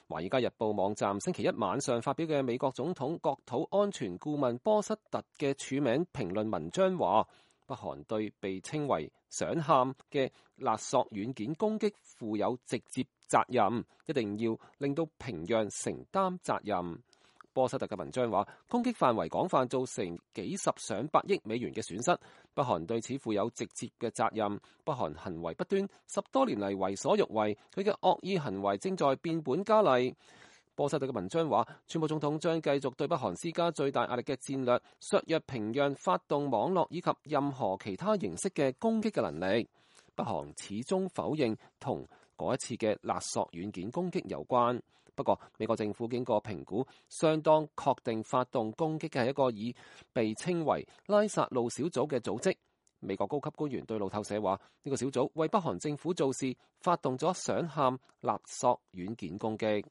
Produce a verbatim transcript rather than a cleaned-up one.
華爾街日報網站星期一晚上發表嘅美國總統國土安全顧問波瑟特嘅署名評論文章話，北韓對被稱為想喊嘅勒索軟件攻擊負有直接責任，一定要令到平壤承擔責任。波瑟特嘅文章話，攻擊範圍廣泛，造成幾十上百億美元嘅損失，北韓對此負有直接嘅責任。北韓行為不端，十多年嚟為所欲為，佢嘅惡意行為正在變本加厲。波瑟特嘅文章話，川普總統將繼續對北韓施加最大壓力嘅戰略，削弱平壤發動網絡以及任何其他形式嘅攻擊嘅能力。北韓始終否認同嗰一次嘅勒索軟件攻擊有關。不過，美國政府經過評估，相當確定發動攻擊嘅係一個以被稱為拉薩路小組嘅組織。美國高級官員對路透社話，呢個小組為北韓政府做事，發動咗想喊勒索軟件攻擊。